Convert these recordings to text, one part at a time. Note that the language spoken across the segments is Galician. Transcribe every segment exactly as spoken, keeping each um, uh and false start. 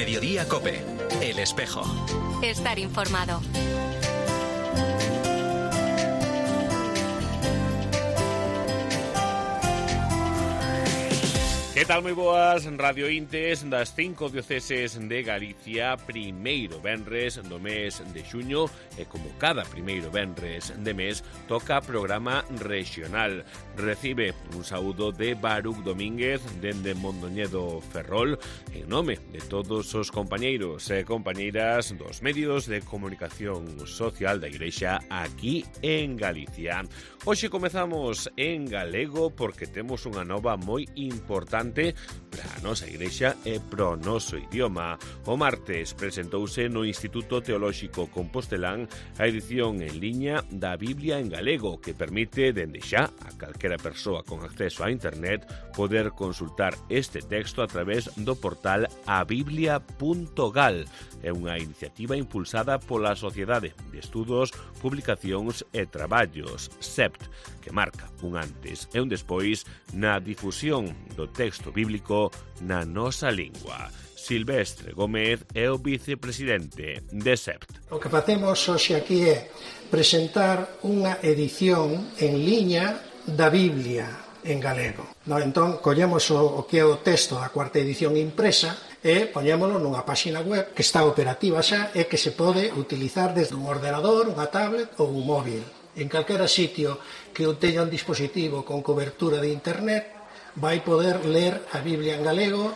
Mediodía COPE. El espejo. Estar informado. Que tal, moi boas, Radio Intes das cinco dioceses de Galicia, primeiro venres do mes de xuño, e como cada primeiro venres de mes, toca programa regional. Recibe un saúdo de Baruch Domínguez dende Mondoñedo Ferrol, en nome de todos os compañeiros e compañeiras dos medios de comunicación social da Igrexa aquí en Galicia. Hoxe comezamos en galego porque temos unha nova moi importante para a nosa Igrexa e pro noso idioma. O martes presentouse no Instituto Teolóxico Compostelán a edición en liña da Biblia en galego, que permite, dende xa, a calquera persoa con acceso a internet poder consultar este texto a través do portal a biblia punto gal. É unha iniciativa impulsada pola Sociedade de Estudos, Publicacións e Traballos, S E P T, que marca un antes e un despois na difusión do texto bíblico na nosa lingua. Silvestre Gómez é o vicepresidente de S E P T. O que facemos hoxe aquí é presentar unha edición en liña da Biblia en galego. No, entón, collemos o, o que é o texto da cuarta edición impresa e poñémolo nunha páxina web que está operativa xa e que se pode utilizar desde un ordenador, unha tablet ou un móvil. En calquera sitio que o teña un dispositivo con cobertura de internet vai poder ler a Biblia en galego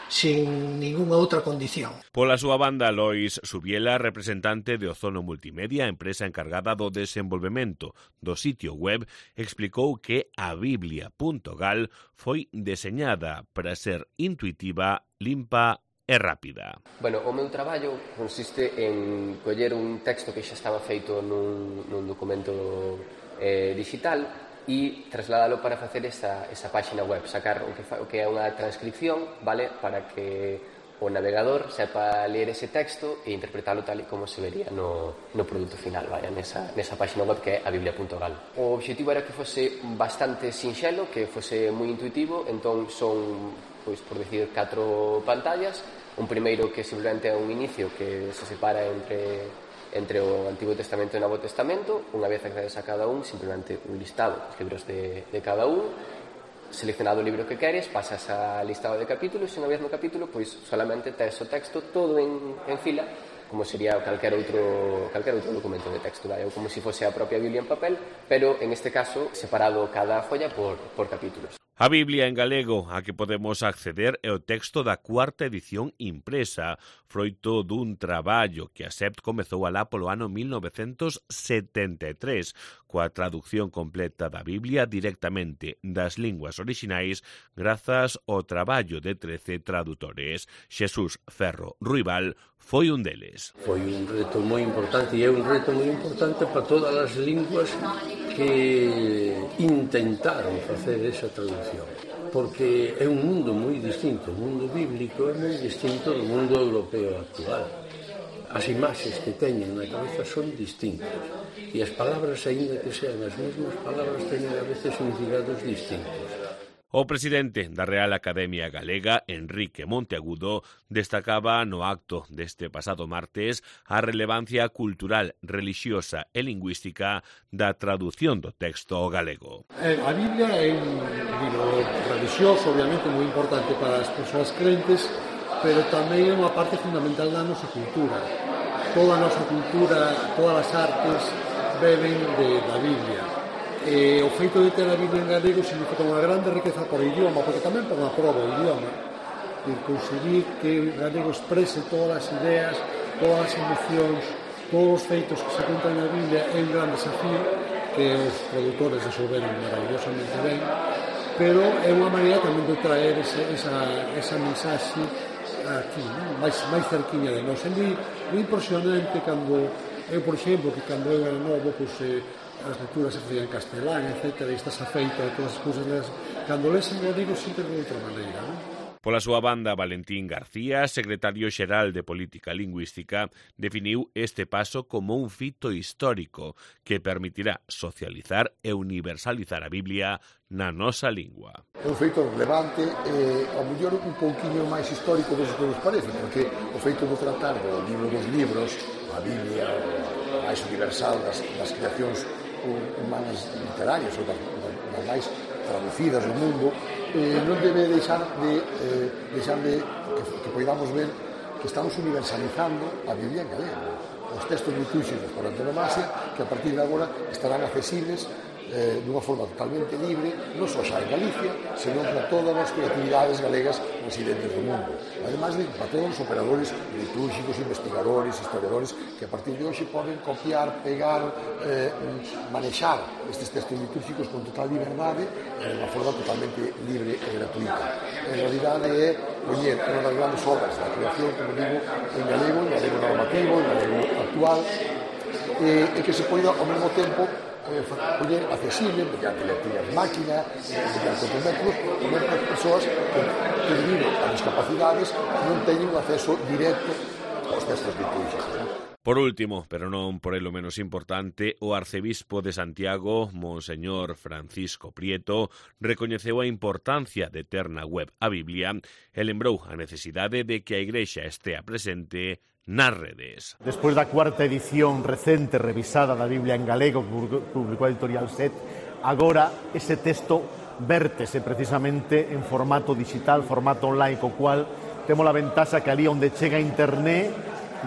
sin ninguna outra condición. Pola súa banda, Lois Subiela, representante de Ozono Multimedia, empresa encargada do desenvolvemento do sitio web, explicou que a biblia punto gal foi deseñada para ser intuitiva, limpa e rápida. Bueno, o meu traballo consiste en coller un texto que xa estaba feito nun, nun documento eh, digital e trasladalo para facer esa, esa páxina web, sacar o que, fa, o que é unha transcripción, vale, para que o navegador sepa ler ese texto e interpretalo tal e como se vería no, no produto final, vaya, nesa, nesa páxina web que é a biblia punto gal. O obxectivo era que fose bastante sinxelo, que fose moi intuitivo, entón son, pois, por decir, catro pantallas. Un primeiro que simplemente é un inicio que se separa entre entre o Antigo Testamento e o Novo Testamento. Unha vez accedes a cada un, simplemente un listado dos libros de, de cada un, seleccionado o libro que queres, pasas a listado de capítulos e unha vez no capítulo, pois solamente tes o texto todo en, en fila, como sería calquer outro, calquer outro documento de texto, vai? Ou como se fose a propia Biblia en papel, pero en este caso separado cada folla por, por capítulos. A Biblia en galego a que podemos acceder é o texto da cuarta edición impresa, froito dun traballo que a S E P T comezou alá polo ano mil novecentos setenta e tres, coa traducción completa da Biblia directamente das linguas orixinais grazas ao traballo de trece tradutores. Xesús Ferro Ruibal foi un deles. Foi un reto moi importante e é un reto moi importante para todas as linguas que intentaron facer esa traducción, porque é un mundo moi distinto, o mundo bíblico é moi distinto do mundo europeo actual. As imaxes que teñen na cabeza son distintas e as palabras, aínda que sean as mesmas palabras, teñen a veces significados distintos. O presidente da Real Academia Galega, Enrique Monteagudo, destacaba no acto deste pasado martes a relevancia cultural, relixiosa e lingüística da traducción do texto ao galego. A Biblia é un libro relixioso, obviamente, moi importante para as persoas crentes, pero tamén é unha parte fundamental da nosa cultura. Toda a nosa cultura, todas as artes beben de, da Biblia. E o feito de ter a Biblia en galego significa unha grande riqueza por idioma, porque tamén por unha prova o idioma, e conseguir que o galego exprese todas as ideas, todas as emocións, todos os feitos que se contan na Biblia é un gran desafío que os traductores resolveron maravillosamente ben, pero é unha maneira tamén de traer ese, esa, esa mensaxe aquí, non? máis, máis cerquiña de nós. É moi, moi impresionante cando eu, por exemplo, que cando eu era novo, pois, eh, as lecturas se facían en castelán, etcétera, e estás afeito a todas as cousas, cando lees en galego sempre de outra maneira, non? Pola súa banda, Valentín García, secretario xeral de Política Lingüística, definiu este paso como un fito histórico que permitirá socializar e universalizar a Biblia na nosa lingua. É un feito relevante e, ao mellor, un pouquiño máis histórico dos que nos parece, porque o feito de tratar do libro dos libros, a Biblia, o máis universal das, das creacións humanas literarias ou das, das máis traducidas do mundo, eh, non debe deixar de, eh, deixar de que, que podamos ver que estamos universalizando a Biblia en galego. Os textos litúrxicos por antonomasia que a partir de agora estarán accesibles eh, dunha forma totalmente libre, non só xa en Galicia, senón para todas as creatividades galegas residentes do mundo. Ademais de para todos os operadores litúrxicos, investigadores, historiadores, que a partir de hoxe poden copiar, pegar, eh, manexar estes textos litúrxicos con total liberdade e de unha forma totalmente libre e gratuita. En realidade é poñer unha das grandes obras da creación, como digo, en galego, en galego normativo, en galego actual, e, e que se poida ao mesmo tempo eh, poñer accesible mediante lecturas máquina, mediante outros métodos, tamén para as persoas que, que debido a discapacidades non teñen un acceso directo aos textos litúrgicos. ¿No? Por último, pero non por elo menos importante, o arcebispo de Santiago, Monseñor Francisco Prieto, recoñeceu a importancia de ter na web a Biblia e lembrou a necesidade de que a Igrexa estea presente nas redes. Despois da cuarta edición recente revisada da Biblia en galego que publicou a editorial Set, agora ese texto vértese precisamente en formato digital, formato online, co cual temos a ventaxa que ali onde chega internet,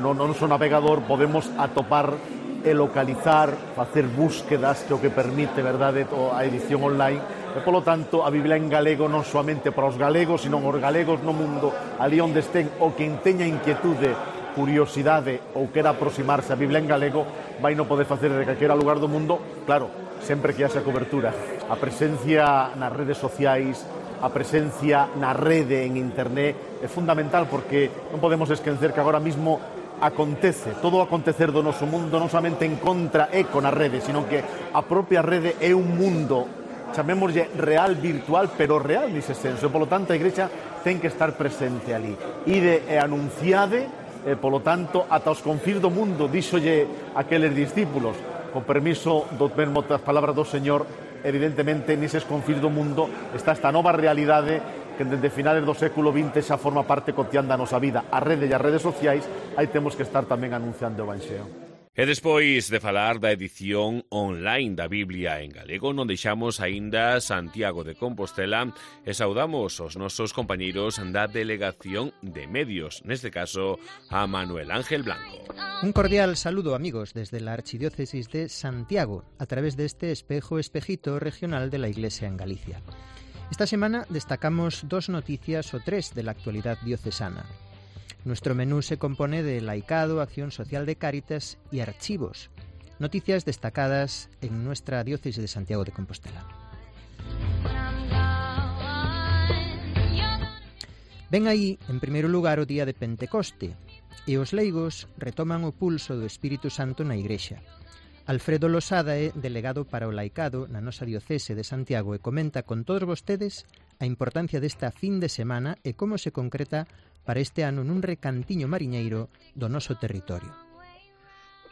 no noso navegador, podemos atopar e localizar, facer búsquedas, que o que permite, verdade, a edición online. E, polo tanto, a Biblia en galego non soamente para os galegos, sino os galegos no mundo, ali onde estén, ou quen teña inquietude, curiosidade ou quera aproximarse a Biblia en galego, vai non poder facer de calquera lugar do mundo, claro, sempre que haxa cobertura. A presencia nas redes sociais, a presencia na rede en internet é fundamental, porque non podemos esquecer que agora mismo acontece, todo o acontecer do noso mundo non somente en contra e con a rede, sino que a propia rede é un mundo, chamémoslle real virtual, pero real nese senso, e polo tanto a Igrexa ten que estar presente ali. Ide e anunciade, e polo tanto ata os confins do mundo, díxolle aqueles discípulos, con permiso do mesmo das palabras do Señor, evidentemente neses confins do mundo está esta nova realidade que desde finales do século vinte xa forma parte cotidiana da nosa vida. A rede e as redes sociais, aí temos que estar tamén anunciando o Evanxeo. E despois de falar da edición online da Biblia en galego, non deixamos aínda Santiago de Compostela e saudamos os nosos compañeiros da Delegación de Medios, neste caso a Manuel Ángel Blanco. Un cordial saludo, amigos, desde la Archidiócesis de Santiago, a través de este espejo espejito regional de la Iglesia en Galicia. Esta semana destacamos dos noticias o tres de la actualidad diocesana. Nuestro menú se compone de laicado, acción social de Cáritas y archivos, noticias destacadas en nuestra diócesis de Santiago de Compostela. Ven aí, en primeiro lugar, o día de Pentecoste, e os leigos retoman o pulso do Espírito Santo na Igrexa. Alfredo Losada é delegado para o laicado na nosa diocese de Santiago e comenta con todos vostedes a importancia desta fin de semana e como se concreta para este ano nun recantiño mariñeiro do noso territorio.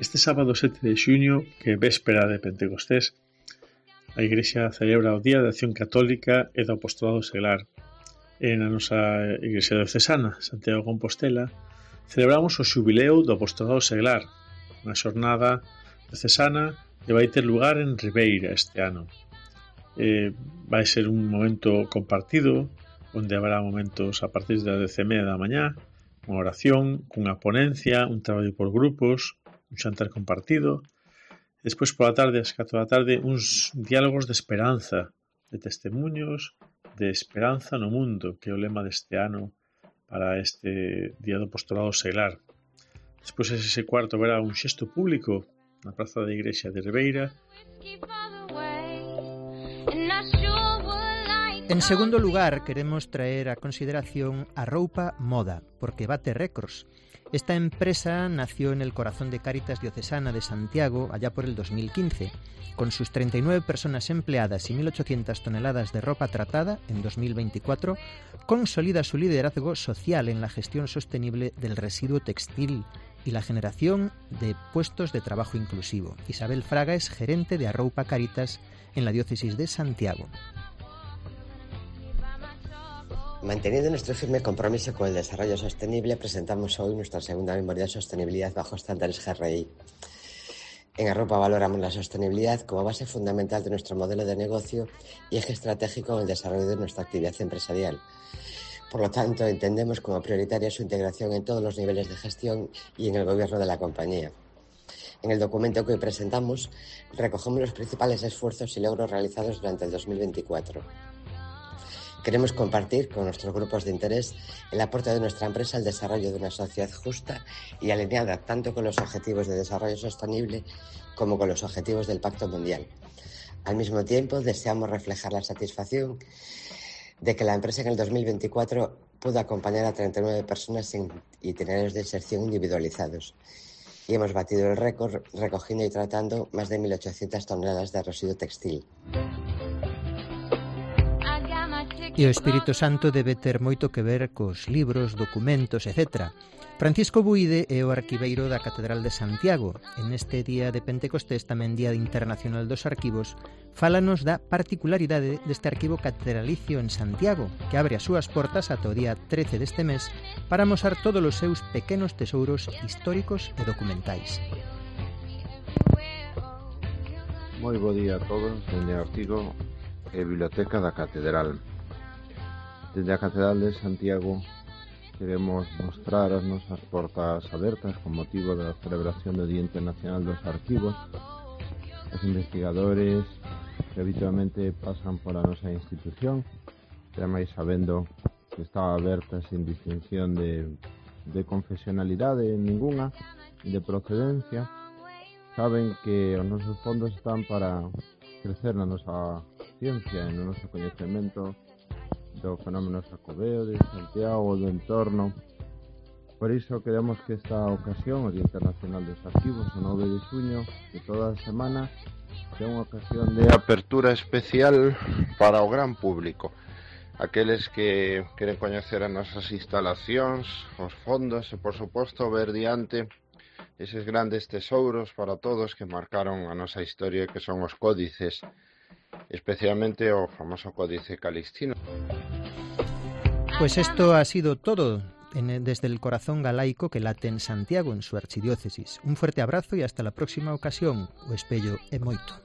Este sábado sete de xuño, que é véspera de Pentecostés, a Igrexa celebra o Día de Acción Católica e do Apostolado Seglar. E na nosa Igrexa diocesana, Santiago de Compostela, celebramos o xubileo do Apostolado Seglar, unha xornada diocesana que vai ter lugar en Ribeira este ano. Eh, vai ser un momento compartido, onde haberá momentos a partir das dez e media da mañá, unha oración, cunha ponencia, un traballo por grupos, un xantar compartido. Despois, pola tarde, ás catro da tarde, uns diálogos de esperanza, de testemunhos, de esperanza no mundo, que é o lema deste ano para este Día do Apostolado Seglar. Despois, ese cuarto, verá un xesto público na praza da Igrexa de Ribeira. En segundo lugar, queremos traer a consideración a Roupa Moda, porque bate récords. Esta empresa nació en el corazón de Cáritas Diocesana de Santiago allá por el dos mil quince. Con sus treinta y nueve personas empleadas y mil ochocientas toneladas de ropa tratada en dos mil veinticuatro, consolida su liderazgo social en la gestión sostenible del residuo textil y la generación de puestos de trabajo inclusivo. Isabel Fraga es gerente de Arroupa Cáritas en la diócesis de Santiago. Manteniendo nuestro firme compromiso con el desarrollo sostenible, presentamos hoy nuestra segunda memoria de sostenibilidad bajo estándares G R I. En Arroupa valoramos la sostenibilidad como base fundamental de nuestro modelo de negocio y eje estratégico en el desarrollo de nuestra actividad empresarial. Por lo tanto, entendemos como prioritaria su integración en todos los niveles de gestión y en el gobierno de la compañía. En el documento que hoy presentamos, recogemos los principales esfuerzos y logros realizados durante el dos mil veinticuatro. Queremos compartir con nuestros grupos de interés el aporte de nuestra empresa al desarrollo de una sociedad justa y alineada tanto con los objetivos de desarrollo sostenible como con los objetivos del Pacto Mundial. Al mismo tiempo, deseamos reflejar la satisfacción de que la empresa en el dos mil veinticuatro pudo acompañar a treinta y nueve personas en itinerarios de inserción individualizados. Y hemos batido el récord recogiendo y tratando más de mil ochocientas toneladas de residuo textil. E o Espírito Santo debe ter moito que ver cos libros, documentos, etcétera. Francisco Buide é o arquiveiro da Catedral de Santiago. En este día de Pentecostés, tamén Día Internacional dos Arquivos, fálanos da particularidade deste arquivo catedralicio en Santiago, que abre as súas portas ata o día trece deste mes para amosar todos os seus pequenos tesouros históricos e documentais. Moi bo día a todos, dende o artigo e Biblioteca da Catedral. Desde a Catedral de Santiago queremos mostrar as nosas portas abertas con motivo da celebración do Día Internacional dos Arquivos. Os investigadores que habitualmente pasan pola nosa institución, ademais sabendo que está aberta sin distinción de, de confesionalidade ninguna, de procedencia, saben que os nosos fondos están para crecer na nosa ciencia e no noso coñecemento do fenómeno xacobeo de Santiago, do entorno. Por iso queremos que esta ocasión, o Día Internacional dos Arquivos, o nove de xuño de toda a semana, sea unha ocasión de apertura especial para o gran público. Aqueles que queren coñecer as nosas instalacións, os fondos e, por suposto, ver diante eses grandes tesouros para todos que marcaron a nosa historia, que son os códices, especialmente o famoso Códice Calixtino. Pues esto ha sido todo en, desde el corazón galaico que late en Santiago, en su archidiócesis. Un fuerte abrazo y hasta la próxima ocasión. O espello é moito.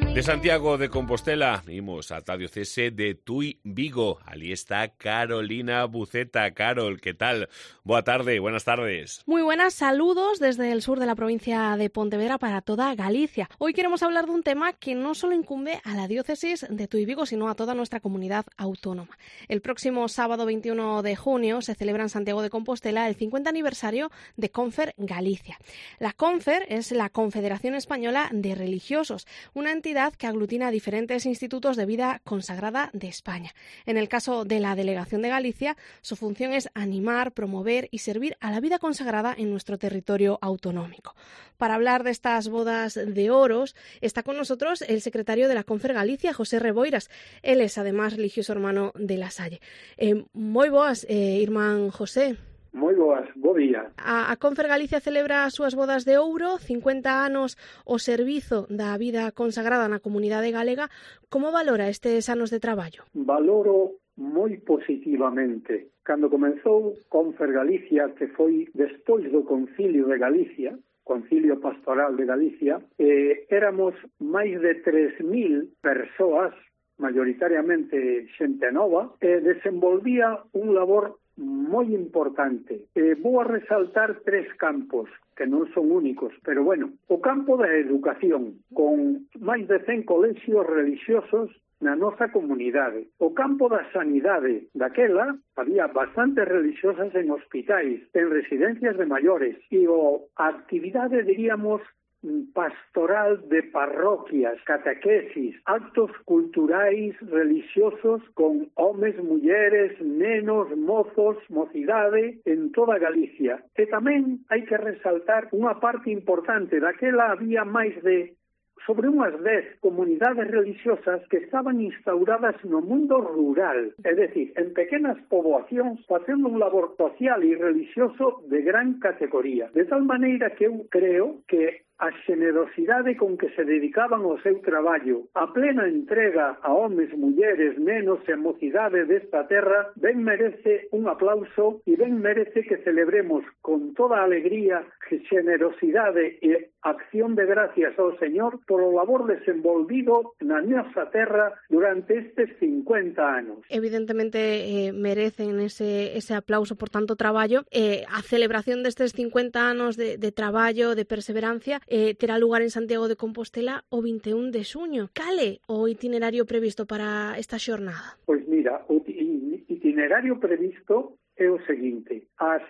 De Santiago de Compostela, imos ata a diocese de Tui, Vigo. Ali está Carolina Buceta. Carol, ¿qué tal? Boa tarde, buenas tardes. Muy buenas, saludos desde el sur de la provincia de Pontevedra para toda Galicia. Hoy queremos hablar de un tema que no solo incumbe a la diócesis de Tui, Vigo, sino a toda nuestra comunidad autónoma. El próximo sábado veintiuno de junio se celebra en Santiago de Compostela el cincuenta aniversario de Confer Galicia. La Confer es la Confederación Española de Religiosos, una entidad que aglutina diferentes institutos de vida consagrada de España. En el caso de la Delegación de Galicia, su función es animar, promover y servir a la vida consagrada en nuestro territorio autonómico. Para hablar de estas bodas de oros, está con nosotros el secretario de la Confer Galicia, José Reboiras. Él es además religioso hermano de La Salle. Eh, moi boas, eh, irmán José. Moi boas, bo día. A, a Confer Galicia celebra as súas bodas de ouro, cincuenta anos o servizo da vida consagrada na comunidade galega. Como valora estes anos de traballo? Valoro moi positivamente. Cando comenzou Confer Galicia, que foi despois do Concilio de Galicia, Concilio Pastoral de Galicia, eh, éramos máis de tres mil persoas, mayoritariamente xente nova, e desenvolvía un labor moi importante. Eh, vou a resaltar tres campos que non son únicos, pero bueno, o campo da educación, con máis de cen colexios religiosos na nosa comunidade. O campo da sanidade, daquela había bastantes religiosas en hospitais, en residencias de maiores, e o, a actividade, diríamos, pastoral de parroquias, catequesis, actos culturais religiosos con homes, mulleres, nenos, mozos, mocidade en toda Galicia. E tamén hai que resaltar unha parte importante, daquela había máis de sobre unhas dez comunidades religiosas que estaban instauradas no mundo rural, é dicir, en pequenas poboacións, facendo un labor social e religioso de gran categoría. De tal maneira que eu creo que a xenerosidade con que se dedicaban ao seu traballo, a plena entrega a homes, mulleres, nenos e mocidade desta terra, ben merece un aplauso e ben merece que celebremos con toda alegría, xenerosidade e acción de gracias ao Señor por o labor desenvolvido na nosa terra durante estes cincuenta anos. Evidentemente eh, merecen ese, ese aplauso por tanto traballo. Eh, a celebración destes cincuenta anos de, de traballo, de perseverancia, eh, terá lugar en Santiago de Compostela o vinte e un de xuño. Cale o itinerario previsto para esta xornada? Pois mira, o itinerario previsto é o seguinte: ás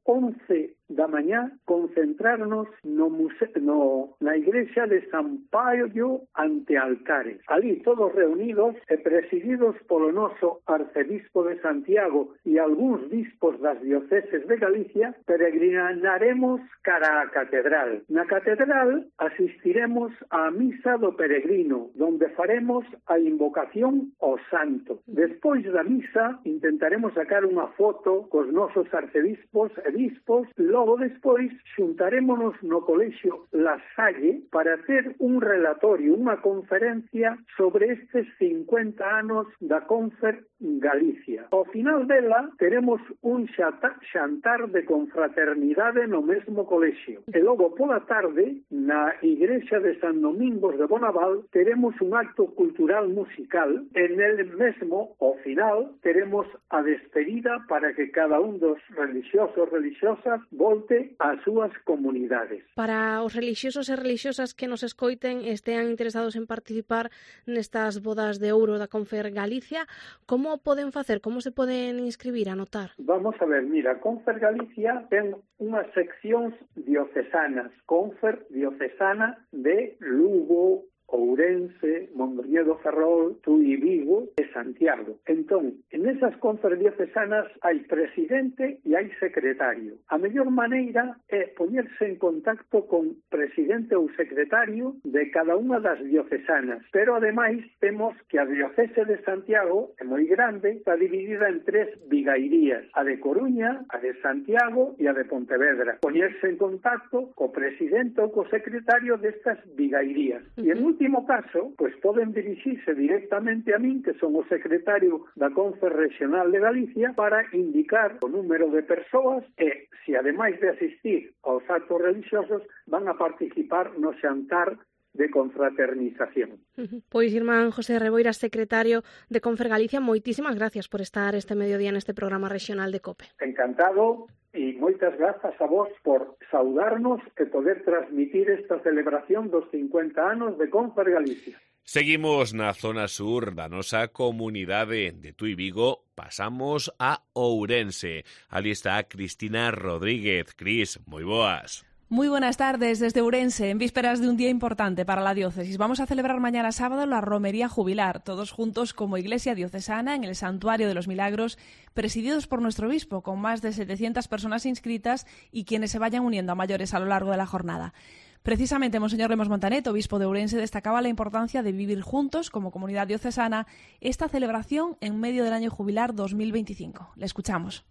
once da mañá concentrarnos no, muse- no na igrexa de San Paio ante altares. Ali todos reunidos e presididos polo noso arcebispo de Santiago e algúns bispos das dioceses de Galicia, peregrinaremos cara á catedral. Na catedral asistiremos á misa do peregrino, donde faremos a invocación ao santo. Despois da misa intentaremos sacar unha foto cos nosos arcebispos e bispos. Logo despois xuntarémonos no colexio La Salle para ter un relatorio, unha conferencia sobre estes cincuenta anos da Confer Galicia. Ao final dela teremos un xantar de confraternidade no mesmo colexio. E logo pola tarde, na igrexa de San Domingos de Bonaval, teremos un acto cultural musical. En el mesmo, ao final, teremos a despedida para que cada un dos religiosos religiosas volte ás súas comunidades. Para os relixiosos e relixiosas que nos escoiten e estean interesados en participar nestas bodas de ouro da Confer Galicia, como poden facer? Como se poden inscribir, anotar? Vamos a ver, mira, Confer Galicia ten unhas seccións diocesanas, Confer diocesana de Lugo, Ourense, Mondoñedo Ferrol, Tui, Vigo e Santiago. Entón, en esas confer diocesanas hai presidente e hai secretario. A mellor maneira é poñerse en contacto con presidente ou secretario de cada unha das diocesanas. Pero, ademais, temos que a diocese de Santiago é moi grande, está dividida en tres vigairías, a de Coruña, a de Santiago e a de Pontevedra. Poñerse en contacto co presidente ou co secretario destas vigairías. E en último caso, pois poden dirixirse directamente a min, que son o secretario da Confer Regional de Galicia, para indicar o número de persoas e, se ademais de asistir aos actos religiosos, van a participar no xantar de confraternización. Uh-huh. Pois, irmán José Reboira, secretario de Confer Galicia, moitísimas gracias por estar este mediodía neste programa regional de COPE. Encantado. E moitas grazas a vos por saudarnos e poder transmitir esta celebración dos cincuenta anos de Confer Galicia. Seguimos na zona sur da nosa comunidade de Tui Vigo, pasamos a Ourense. Ali está Cristina Rodríguez. Cris, moi boas. Muy buenas tardes desde Ourense, en vísperas de un día importante para la diócesis. Vamos a celebrar mañana sábado la romería jubilar, todos juntos como iglesia diocesana en el Santuario de los Milagros, presididos por nuestro obispo, con más de setecientas personas inscritas y quienes se vayan uniendo a mayores a lo largo de la jornada. Precisamente, Monseñor Lemos Montanet, obispo de Ourense, destacaba la importancia de vivir juntos como comunidad diocesana esta celebración en medio del año jubilar dos mil veinticinco. Le escuchamos.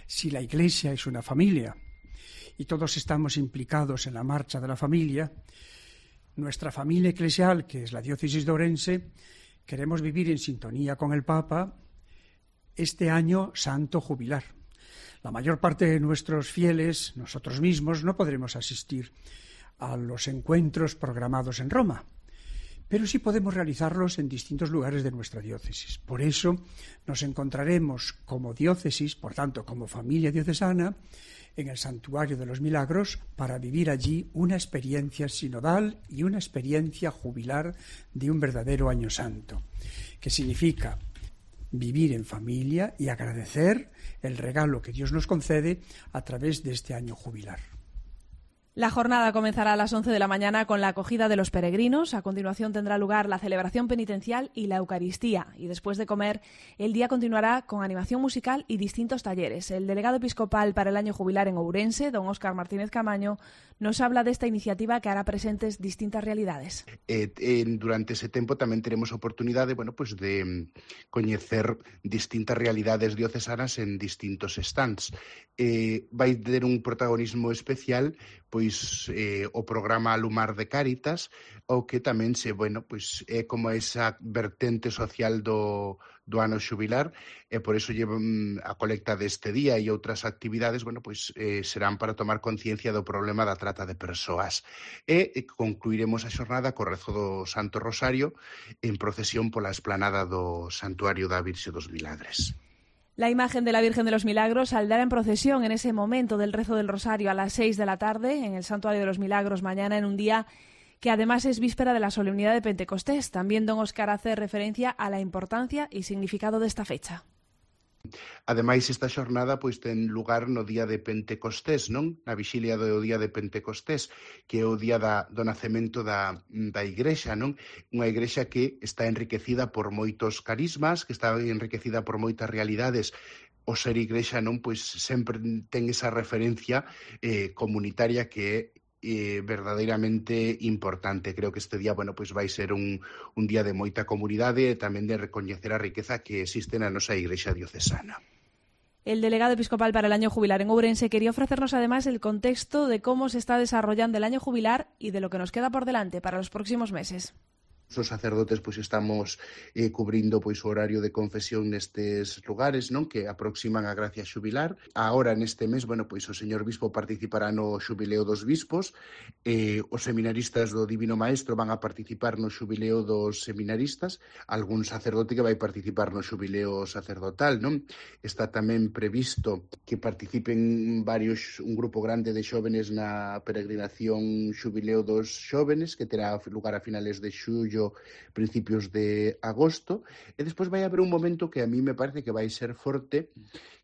Si la iglesia es una familia y todos estamos implicados en la marcha de la familia, nuestra familia eclesial, que es la diócesis de Ourense, queremos vivir en sintonía con el Papa este año santo jubilar. La mayor parte de nuestros fieles, nosotros mismos, no podremos asistir a los encuentros programados en Roma, pero sí podemos realizarlos en distintos lugares de nuestra diócesis. Por eso nos encontraremos como diócesis, por tanto como familia diocesana, en el Santuario de los Milagros para vivir allí una experiencia sinodal y una experiencia jubilar de un verdadero año santo, que significa vivir en familia y agradecer el regalo que Dios nos concede a través de este año jubilar. La jornada comenzará a las once de la mañana con la acogida de los peregrinos. A continuación tendrá lugar la celebración penitencial y la Eucaristía. Y después de comer, el día continuará con animación musical y distintos talleres. El delegado episcopal para el año jubilar en Ourense, don Óscar Martínez Camaño, nos habla de esta iniciativa que hará presentes distintas realidades. Eh, eh, durante ese tempo tamén teremos oportunidade, bueno, pues de coñecer distintas realidades diocesanas en distintos stands. Eh, vai ter un protagonismo especial pois eh, o programa Alumar de Cáritas, o que tamén se, bueno, pois é como esa vertente social do, do ano xubilar, e por iso llevan a colecta deste día e outras actividades, bueno, pois eh, serán para tomar conciencia do problema da trata de persoas. E eh, concluiremos a xornada co rezo do Santo Rosario en procesión pola esplanada do Santuario da Virxe dos Milagres. La imagen de la Virgen de los Milagros saldrá en procesión en ese momento del rezo del Rosario a las seis de la tarde en el Santuario de los Milagros mañana, en un día que además es víspera de la solemnidad de Pentecostés. También don Óscar hace referencia a la importancia y significado de esta fecha. Ademais, esta xornada pois ten lugar no día de Pentecostés, non? Na vixilia do día de Pentecostés, que é o día da, do nacemento da, da Igrexa, non? Unha Igrexa que está enriquecida por moitos carismas, que está enriquecida por moitas realidades. O ser Igrexa, non? Pois sempre ten esa referencia eh, comunitaria que é Eh, verdadeiramente importante. Creo que este día, bueno, pues vai ser un, un día de moita comunidade e tamén de recoñecer a riqueza que existe na nosa Igrexa diocesana. El delegado episcopal para el año jubilar en Ourense quería ofrecernos además el contexto de cómo se está desarrollando el año jubilar y de lo que nos queda por delante para los próximos meses. Os sacerdotes pois estamos eh, cubrindo pois o horario de confesión nestes lugares, non, que aproximan a gracia xubilar. Agora neste mes, bueno, pois o señor bispo participará no xubileo dos bispos, eh, os seminaristas do Divino Maestro van a participar no xubileo dos seminaristas, algún sacerdote que vai participar no xubileo sacerdotal, non? Está tamén previsto que participen varios, un grupo grande de xóvenes na peregrinación xubileo dos xóvenes, que terá lugar a finales de xullo, principios de agosto, e despois vai haber un momento que a mí me parece que vai ser forte,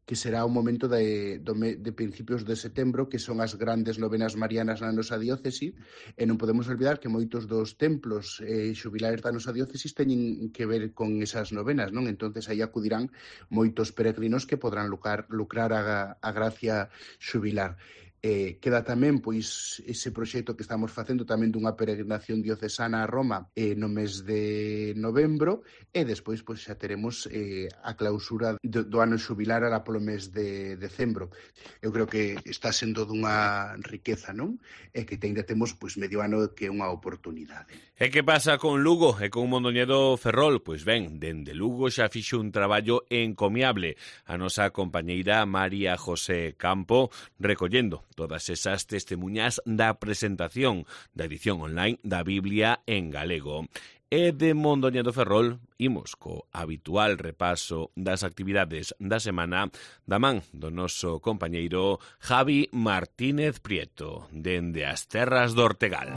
que será un momento de, de principios de setembro, que son as grandes novenas marianas na nosa diócese, e non podemos olvidar que moitos dos templos eh, xubilares da nosa diócese teñen que ver con esas novenas, non? Entonces aí acudirán moitos peregrinos que podrán lucrar, lucrar a, a gracia xubilar. Eh, queda tamén pois ese proxecto que estamos facendo tamén dunha peregrinación diocesana a Roma eh, no mes de novembro, e despois pois xa teremos eh, a clausura do, do ano xubilar alá polo mes de decembro. Eu creo que está sendo dunha riqueza, non? E que ainda temos pois medio ano que é unha oportunidade. E que pasa con Lugo e con Mondoñedo Ferrol? Pois ben, dende Lugo xa fixo un traballo encomiable a nosa compañeira María José Campo, recollendo todas esas testemunhas da presentación da edición online da Biblia en galego. E de Mondoñedo Ferrol imos co habitual repaso das actividades da semana da man do noso compañeiro Javi Martínez Prieto, dende as terras do Ortegal.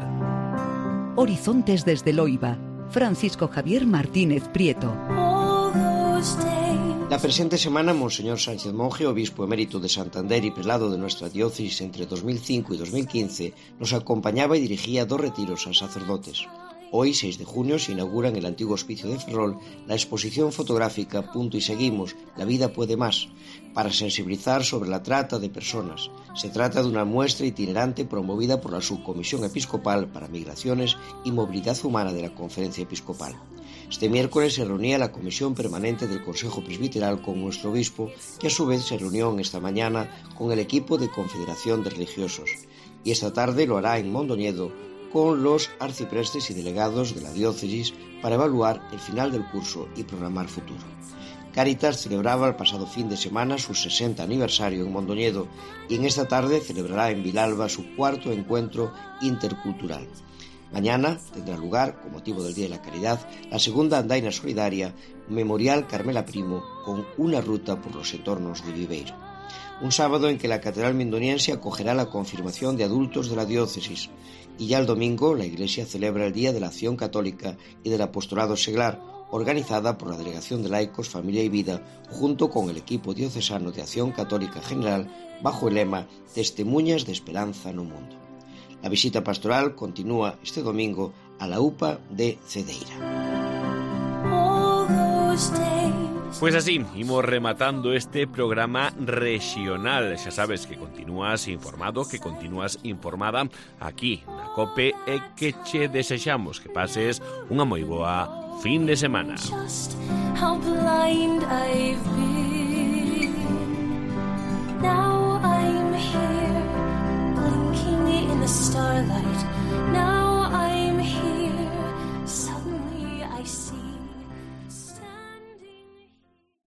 Horizontes desde Loiba, Francisco Javier Martínez Prieto. La presente semana, Monseñor Sánchez Monje, obispo emérito de Santander y prelado de nuestra diócesis entre dos mil cinco y dos mil quince, nos acompañaba y dirigía dos retiros a sacerdotes. Hoy, seis de junio, se inaugura en el antiguo hospicio de Ferrol la exposición fotográfica Punto y Seguimos, la vida puede más, para sensibilizar sobre la trata de personas. Se trata de una muestra itinerante promovida por la Subcomisión Episcopal para Migraciones y Movilidad Humana de la Conferencia Episcopal. Este miércoles se reunía la Comisión Permanente del Consejo Presbiteral con nuestro obispo, que a su vez se reunió en esta mañana con el equipo de Confederación de Religiosos. Y esta tarde lo hará en Mondoñedo con los arciprestes y delegados de la diócesis para evaluar el final del curso y programar futuro. Cáritas celebraba el pasado fin de semana su sesenta aniversario en Mondoñedo y en esta tarde celebrará en Vilalba su cuarto encuentro intercultural. Mañana tendrá lugar, con motivo del Día de la Caridad, la segunda andaina solidaria Memorial Carmela Primo con una ruta por los entornos de Viveiro. Un sábado en que la Catedral Mindoniense acogerá la confirmación de adultos de la diócesis y ya el domingo la Iglesia celebra el Día de la Acción Católica y del Apostolado Seglar, organizada por la Delegación de Laicos, Familia y Vida, junto con el equipo diocesano de Acción Católica General, bajo el lema Testemunhas de Esperanza no Mundo. A visita pastoral continúa este domingo a la UPA de Cedeira. Pois así, imos rematando este programa regional. Xa sabes que continúas informado, que continúas informada aquí na COPE e que che desexamos que pases unha moi boa fin de semana.